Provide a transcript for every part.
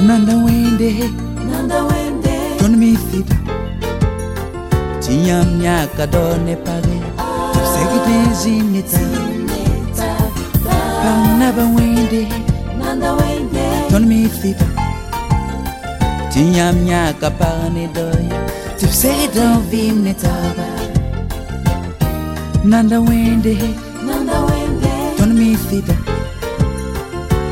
Nanda wẽnde, Nanda wende, tõnd mi sɩda tɩ yãmb yãka dao ne page tɩ b segd n zĩnd ne taaba. Neta, Pãng naba wẽnde, Nanda wende, tõnd mi sɩda tɩ yãmb yãka pag ne dao ya tɩ b segd n vɩɩm ne taaba. Nanda wẽnde, Nanda wende, tõnd mi sɩda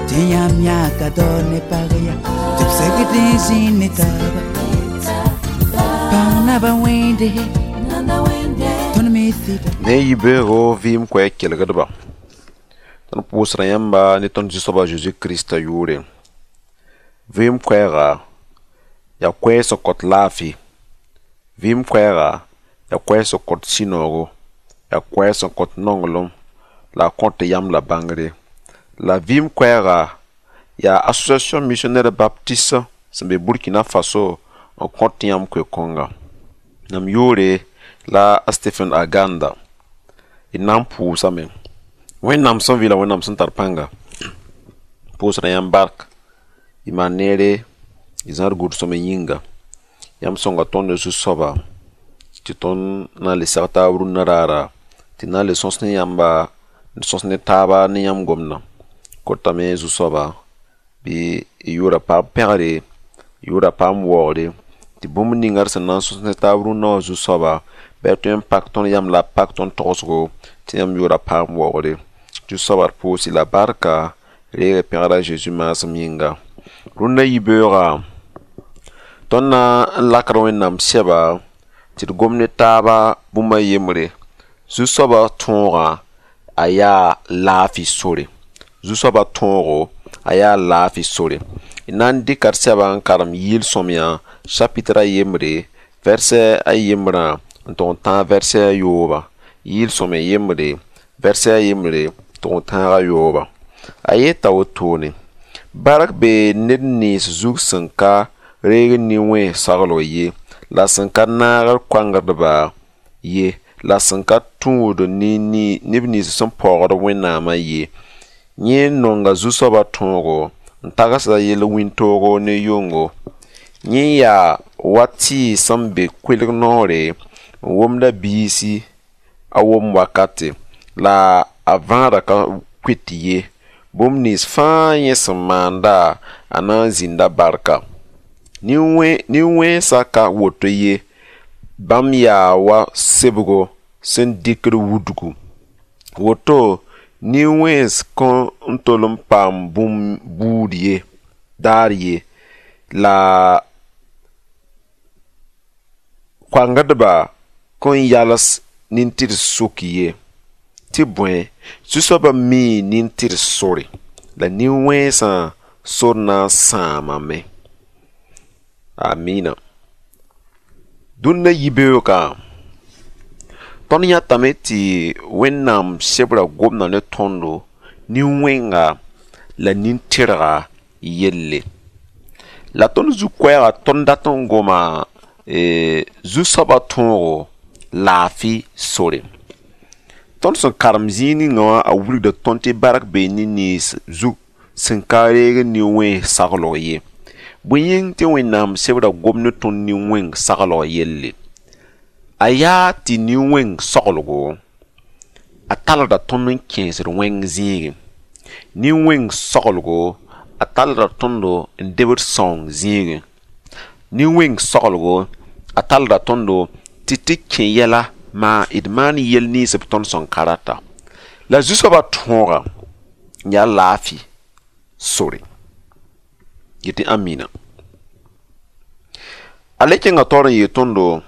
tɩ yãmb yãka dao ne pag ya tɩ b segd n zĩnd ne taaba. Pãng naba wẽnde, Nanda wende, tõnd mi sɩda. Ne yibeoogo vɩɩm koɛɛg kelgdba, tõnd pʋʋsda yãmba ne tõnd Zu-soaba Zeezi Kirista yʋʋre. Vɩɩm koɛɛga yaa koɛɛg sẽn kõt laafɩ. Vɩɩm koɛɛga yaa koɛɛg sẽn kõt sũ-noogo, yaa koɛɛg sẽn kõt nonglem la a kõt yam la bãngre. La vɩɩm koɛɛga yaa Association Missionnaire Baptiste sẽn be Burkina Faso n kõt yãmb koe-kõnga. Mam yʋʋre la a Stephen Aganda. D na n pʋʋsame. Wẽnnaam sẽn vɩ la Wẽnnaam sẽn tar pãnga, pʋʋsda yãmb bark, y maan neere, y zãad gʋls-sõamy yĩnga. Yãmb sõnga tõnd Zu-soaba tɩ tõnd na n le seg taab rũnnã raara, tɩ na n le sõs ne yãmba, n sõs ne taaba ne yãmb gomdã. Kotame Zu-soaba bɩ y yʋʋra paam pẽgre, y yʋʋra paam waoogre, tɩ bũmb ninga d sẽn na n sõs ne taab rũnnã wã Zu-soaba, bɩ a tõe n pak tõnd yam la a pak tõnd togsgo tɩ yãmb yʋʋra paam waoogre. Zu-soaba d pʋʋs-y la barka, reeg pẽgra Zeezi maasem yĩnga. Rũnnã yibeoogã, tõnd na n lakd Wẽnnaam sɛba tɩ d gom ne taaba bũmb a yembre. Zu-soabã tõogã a yaa laafɩ sore. Zu-soabã tõogo a yaa laafɩ sore. D na n dɩka d sɛba n karem yɩɩl-sõamyã chapitre a yembre, vɛrsɛ a yembrã n tʋg n tãag vɛrsɛ a yoobã. Yɩɩl-sõamyã yembre, vɛrsɛ a yembre tʋg n tãag a yoobã. A yeta wotone: bark bee ned nens zug sẽn ka reeg nin-wẽns saglg ye, la sẽn ka naagd koangdba ye, la sẽn ka tũud neb nins sẽn paoogd Wẽnnaamã ye. Yẽ nonga Zu-soabã tõogo n tagsda yel-wĩntoogo ne yʋngo. Yẽ yaa wa tɩɩg sẽn be koelg noore n womda biisi a wom wakate, la a vãadã ka koet ye. Bũmb nins fãa yẽ sẽn maanda, a na n zĩnda barka. Nin-wẽnsã ka woto ye, bãmb yaa wa sebgo sẽn dɩkd wudgu. Woto nin-wẽns kõn n tol n paam bũmb buud ye, daar ye, la koangdba kõn yals nin-tɩrs sʋk ye. Tɩ bõe, Zu-soabã mii nin-tɩrs sore, la nin-wẽnsã sor na n sãamame. Amina. Dũnna yibeoogã, tõnd yãtame tɩ Wẽnnaam sebra gomda ne tõndo nin-wẽnga la nin-tɩrga yelle. La tõnd zu-koɛɛga tõnd dat n goma Zu-soabã tõogo laafɩ sore. Tõnd sẽn karem zĩig ninga wã a wilgda tõnd tɩ bark bee nin-nens zug sẽn ka reeg nin-wẽns saglg ye. Bõe yĩng tɩ Wẽnnaam sebra gom ne tõnd nin-wẽng saglg yelle? A yaa tɩ nin-wẽng saglgo a talgda tõnd n kẽesd wẽng zĩigẽ. Nin-wẽng saglgo a talgda tõndo n debd sãoong zĩigẽ. Nin-wẽng saglgo a talgda tõndo tɩ tɩ kẽ yɛla maa d maan yel nins b tõnd sẽn ka rata. La Zu-soabã tõogã yaa laafɩ sore. Yetɩ amina. A le kẽnga taoor n yeel tõndo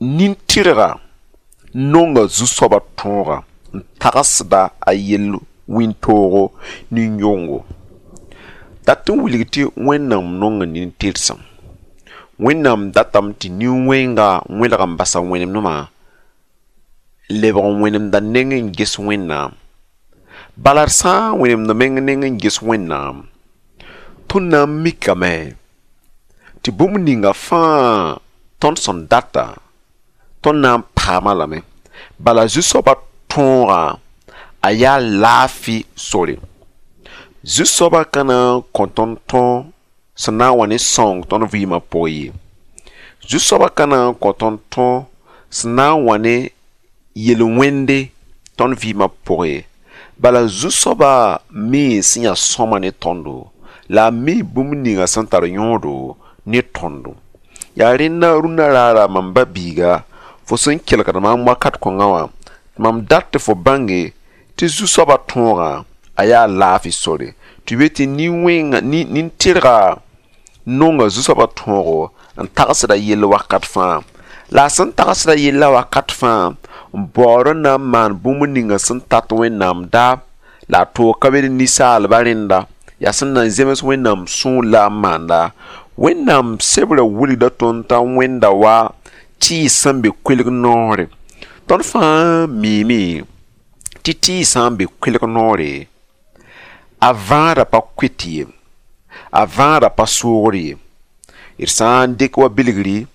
nin-tɩrga nonga Zu-soabã tõogã n tagsda a yel wĩntoogo nin-yongo. Dat n wilg tɩ Wẽnnaam nonga nin-tɩrsem. Wẽnnaam datame tɩ nin-wẽnga wẽlg n basa wẽnemdmã n lebg n wẽnemda neng n ges Wẽnnaam. Bala d sã n wẽnemd meng neng n ges Wẽnnaam, tõnd na n mikame tɩ bũmb ninga fãa tõnd sẽn data, tõnd na n paama lame. Bala Zu-soabã tõogã a yaa laafɩ sore. Zu-soabã ka na n kõ tõnd tõ sẽn na n wa ne sõng tõnd vɩɩmã pʋgẽ ye. Zu-soabã ka na n kõ tõnd tõ sẽn na n wa ne yel-wẽnde tõnd vɩɩmã pʋgẽ ye. Bala zu-soabã mii sẽn yaa sõama ne tõndo, la a mii bũmb ninga sẽn tar yõodo ne tõndo. Yaa rẽnda rũnna raara mam ba-biiga, fo sẽn kelgd maam wakat kõngã wã, tɩ mam dat tɩ fo bãnge tɩ zu-soabã tõogã a yaa laafɩ sore. Tɩ be tɩ nin-tɩrga nonga zu-soabã tõogo n tagsda yell wakat fãa. La a sẽn tagsda yella wakat fãa n baood n na n maan bũmb ninga sẽn tat Wẽnnaam daab la a toog ka be ne ninsaalbã rẽnda yaa sẽn na n zems Wẽnnaam sũur la a maanda. Wẽnnaam sebrã wilgda tõnd t'a wẽnda wa tɩɩs sẽn be koelg noore. Tõnd fãa miime tɩ tɩɩs sã n be koelg noore, a vãadã pa koet ye, a vãadã pa soogr ye. D sã n dɩk wa bilgri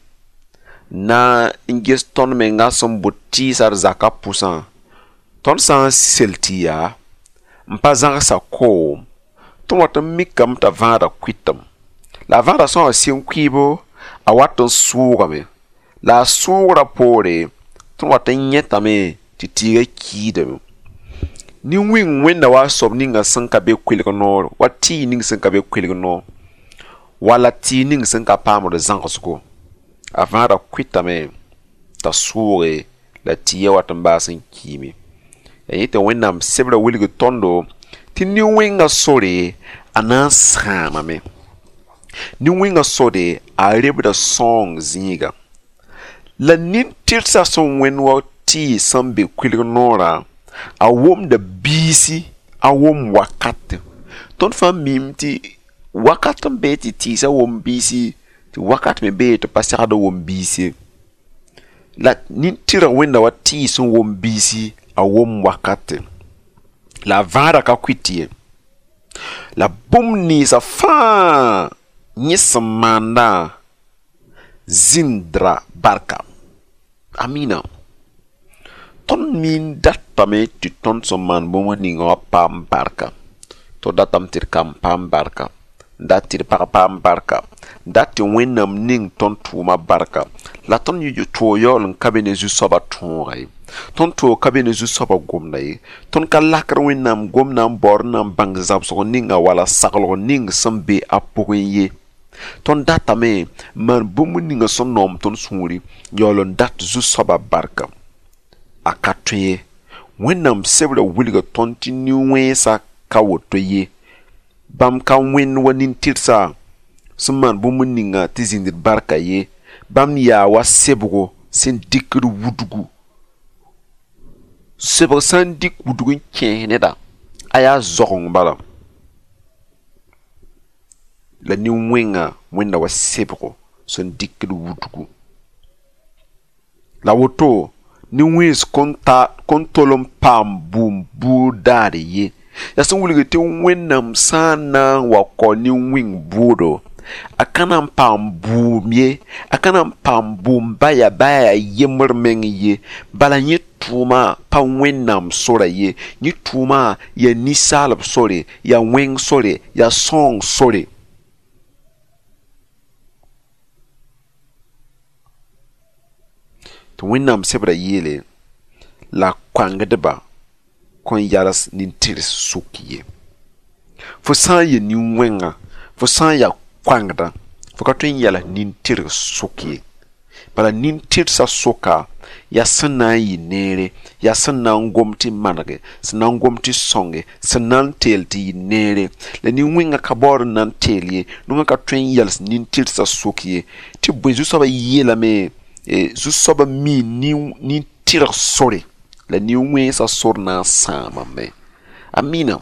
na n ges tõnd menga sẽn bʋd tɩɩsã d zakã pʋsã, tõnd sã n sel tɩ yaa n pa zãgsa koom, tõnd wat n mikame t'a vãadã kʋɩtame. La a vãadã sã n wa sɩng kʋɩɩbo, a wat n sʋʋgame. La a sʋʋgrã poore, tõnd wat n yẽtame tɩ tɩɩgã kiidame. Nin-wĩng wẽnda wa a soab ninga sẽn ka be koelg noor, wa tɩɩg ning sẽn ka be koelg noor, wala tɩɩg ning sẽn ka paamd zãgsgo. A vãadã kʋɩtame t'a sʋʋge la tɩɩgã wat n baas n kiime. Yaa yẽ tɩ Wẽnnaam sebrã wilg tõndo tɩ nin-wẽngã sore a na n sãamame. Nin-wẽngã sore a rebda sõong zĩiga. La nin-tɩrsã sẽn wẽnd wa tɩɩg sẽn be koelg noorã, a wʋmda biisi, a wʋm wakat. Tõnd fãa miime tɩ wakat n bee tɩ tɩɩsã wʋm biisi, tɩ wakat me bee tɩ pa segd wʋm biis ye. La nin-tɩrg wẽnda wa tɩɩs sẽn wʋm biisi, a wʋm wakate. La a vãadã ka kʋɩt ye. La bũmb ninsã fãa yẽ sẽn maandã zĩndra barka. Amina. Tõnd mi n datame tɩ tõnd sẽn maan bũmb ninga wã paam barka. Tõnd datame tɩ d kamb paam barka, n dat tɩ d pag paam barka, n dat tɩ Wẽnnaam ning tõnd tʋʋma barka. La tõnd toog yaool n ka be ne zu-soabã tõoga ye. Tõnd toog ka be ne zu-soabã gomda ye. Tõnd ka lakd Wẽnnaam gomdã n baood n na n bãng zãbsg ninga wala saglg ning sẽn be a pʋgẽ ye. Tõnd datame n maan bũmb ninga sẽn noom tõnd sũuri, yaool n dat zu-soabã barka. A ka tõe ye. Wẽnnaam sebrã wilga tõnd tɩ nin-wẽnsã ka woto ye. Bãmb ka wẽnd wa nin-tɩrsa sẽn maan bũmb ninga tɩ zĩnd barka ye. Bãmb yaa wa sebgo sẽn dɩkd wudgu. Sebg sã n dɩk wudg n kẽes neda, a yaa zoageng bala. La nin-wẽngã wẽnda wa sebgo sẽn dɩkd wudgu. La woto nin-wẽns kõn tol n paam bʋʋm buud daar ye. Yaa sẽn wilg tɩ Wẽnnaam sã n na n wa kao nin-wĩng bʋʋdo, a ka na n paam bʋʋm ye, a ka na n paam bʋʋm baya baya yembr meng ye. Bala yẽ tʋʋma pa Wẽnnaam sora ye. Yẽ tʋʋma yaa ninsaalb sore, yaa wẽng sore, yaa sõong sore. Tɩ Wẽnnaam sebrã yeele la koangdbã kõn yals nin-tɩrs sʋk ye. Fo sã n yɩ nin-wẽnga, fo sã n yaa koangdã, fo ka tõe n yals nin-tɩrg sʋk ye. Bala nin-tɩrsã sʋka yaa sẽn na n yɩ neere, yaa sẽn na n gom tɩ manege, sẽn na n gom tɩ sõnge, sẽn na n teel tɩ yɩ neere. La nin-wẽngã ka baood n na n teel ye, nongã ka tõe n yals nin-tɩrsã sʋk ye. Tɩ bõe zu-soabã yeelame, zu-soabã mii nin-tɩrg sore, la nin-wẽnsã sor na n sãamame. Amina.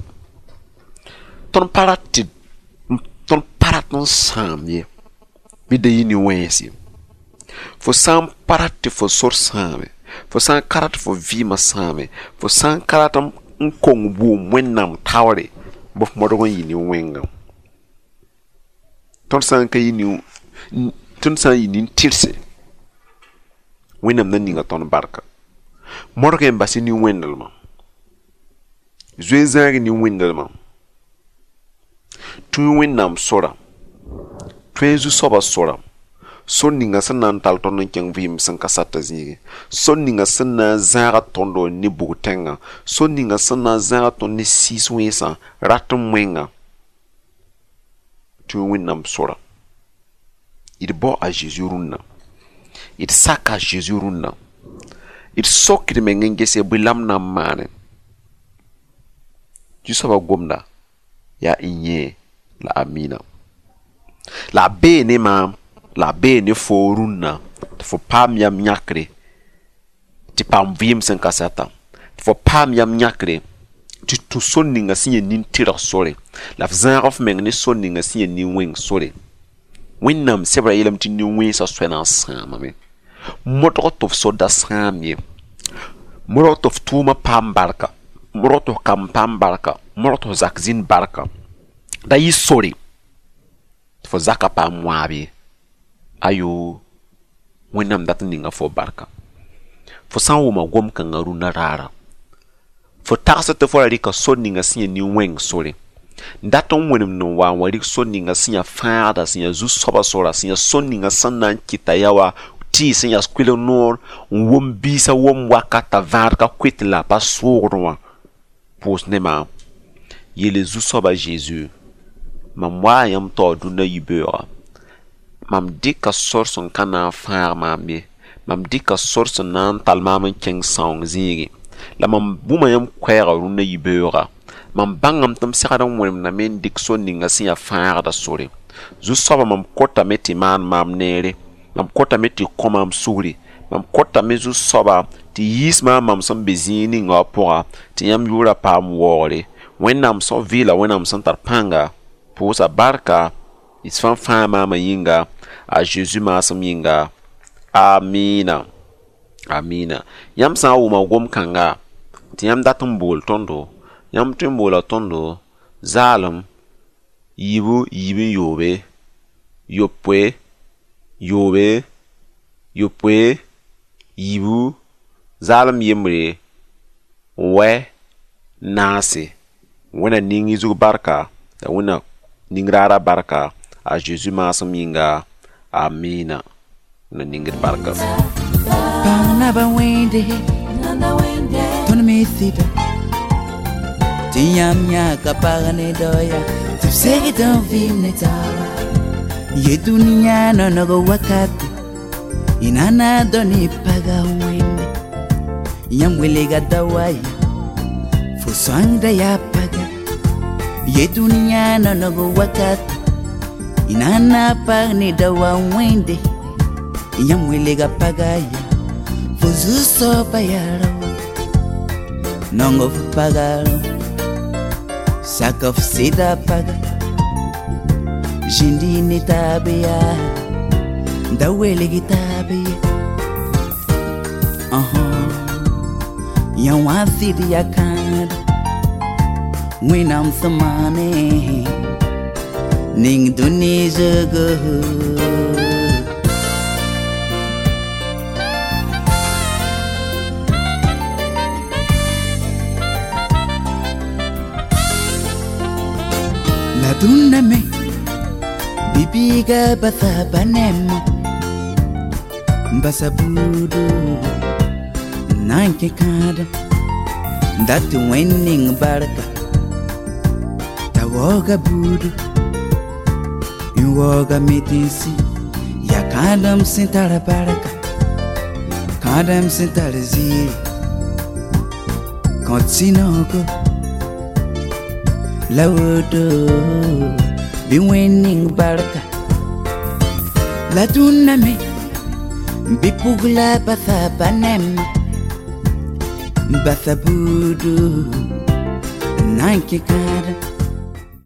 Tõnd pa rat tɩ tõnd pa rat n sãam ye, bɩ da yɩ nin-wẽns ye. Fo sã n pa rat tɩ fo sor sãame, fo sã n ka rat fo vɩɩmã sãame, fo sã n ka rat n kong bʋʋm Wẽnnaam taoore, bɩ f modg n yɩ nin-wẽngã. Tõnd sã n ka yɩ nin, tõnd sã n yɩ nin-tɩrse, Wẽnnaam na ninga tõnd barka. Modg n bas nin-wẽndelmã. Zoe zãag nin-wẽndelmã. Tũu Wẽnnaam sora, tõe Zu-soabã sora, sor ninga sẽn na n tall tõnd n kẽng vɩɩm sẽn ka sata zĩigẽ, sor ninga sẽn na n zãaga tõndo ne bug-tẽngã, sor ninga sẽn na n zãaga tõnd ne sɩɩs wẽnsã, rat n wẽnga. Tũu Wẽnnaam sora. D bao a Zeezi rũnnã, d saka a Zeezi rũnnã, d sok d meng n gese bõe la m na n maane. Zu-soabã gomda yaa yẽ la amina. La a bee ne maam, la a bee ne foo rũnnã tɩ fo paam yam yãkre tɩ paam vɩɩm sẽn ka sata, tɩ fo paam yam yãkre tɩ tũ sor ninga sẽn yẽ nin-tɩrg sore, la f zãag f meng ne sor ninga sẽn yẽ nin-wẽng sore. Wẽnnaam sebra yeelame tɩ nin-wẽnsã soa na n sãamame. Modg tɩ f sor da sãam ye. Modg tɩ f tʋʋmã paam barka, modg tɩ f kamb paam barka, modg tɩ f zak zĩnd barka. Da yɩ sore tɩ fo zaka paam wãab ye. Ayo, Wẽnnaam dat n ninga fo barka. Fo sã n wʋma gom-kãngã rũnna raara, fo tagsd tɩ fo ra rɩka sor ninga sẽn yẽ nin-wẽng sore. N dat n wẽnemd n wa n wa rɩk sor ninga sẽn yaa fãagda, sẽn yaa zu-soabã sora, sẽn yaa sor ninga sẽn na n kɩta yaa wa tɩɩs sẽn yas kʋɩlg noor n wom biisã wom wakat t'a vãad ka koet la a pa soogdẽ wã. Pʋʋs ne maam. Yeele Zu-soabã Zeezi, mam waa yãmb taoor dũnna yibeooga. Mam dɩka sor sẽn ka na n fãag maam ye. Mam dɩka sor sẽn na n tall maam n kẽng sãoong zĩigẽ. La mam bũma yãmb koɛɛgã rũnnã yibeooga. Mam bãngame tɩ m segd n wẽnemdame n dɩk sor ninga sẽn yaa fãagda sore. Zu-soabã mam kotame tɩ maan maam neere. Mam kotame tɩ kõ maam sugri. Mam kotame Zu-soabã tɩ yiis maam mam sẽn be zĩig ninga wã pʋga tɩ yãmb yʋʋrã paam waoogre. Wẽnnaam sẽn vɩɩla Wẽnnaam sẽn tar pãnga, pʋʋsa barka, d fãa fãa maamã yĩnga, a Zeezi maasem yĩnga. Amina. Amina. Yãmb sã n wʋma gom-kãnga tɩ yãmb dat n bool tõndo, yãmb tõe n boola tõndo zaalem yiibu yiib n yoobe, yopoe, yoobe, yopoe, yiibu, zaalem yembre, wɛ, naase. Wẽnna ning y zug barka, la Wẽnna ning raara barka, a Zeezi maasem yĩnga. Amina. Wẽnna ning d barka. Pãng naba wẽnde, Nanda wende, tõnd me sɩda tɩ yãmb yãka pag ne daoya tɩ b segd n vɩɩm ne taaba. Ye dũniyã nonog wakate, y nana dõ ne paga wẽnde. Yãmb welga daoa ya, fo sõangda yaa paga. Ye dũniyã nonog wakate, y nana pag ne daoa wẽnde. Yãmb welga paga ya, fo zu-soaba yaa raoa. Nong f paga rao, sak f sɩda paga. Zĩndi ne taab yaa, da welg taab ye. Yã wã sɩd yaa kãad, Wẽnnaam sẽn maane, ning dũni zugu. La dũnna me, bibiga basa banemo, basa budu, nan kẽ kãadem, dat wẽnd ning barka, t'a waooga buudu, n waooga metensi, yaa kãadem sẽn tar barka, kãadem sẽn tar ziiri, kõt sũ-noogo. La woto bɩ wẽnd ning barka. La dũnna me, bɩ pugla basa ba-nɛm, basa buudu, n na n kẽ kãadem.